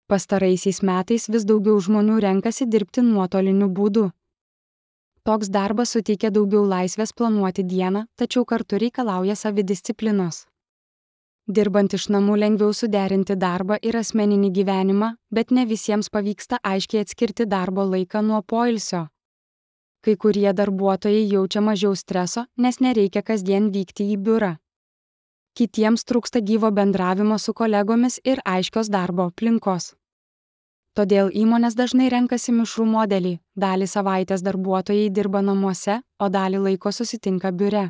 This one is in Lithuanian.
Pastaraisiais metais vis daugiau žmonių renkasi dirbti nuotoliniu būdu. Toks darbas suteikia daugiau laisvės planuoti dieną, tačiau kartu reikalauja savidisciplinos. Dirbant iš namų lengviau suderinti darbą ir asmeninį gyvenimą, bet ne visiems pavyksta aiškiai atskirti darbo laiką nuo poilsio. Kai kurie darbuotojai jaučia mažiau streso, nes nereikia kasdien vykti į biurą. Kitiems trūksta gyvo bendravimo su kolegomis ir aiškios darbo aplinkos. Todėl įmonės dažnai renkasi mišrų modelį, dalį savaitės darbuotojai dirba namuose, o dalį laiko susitinka biure.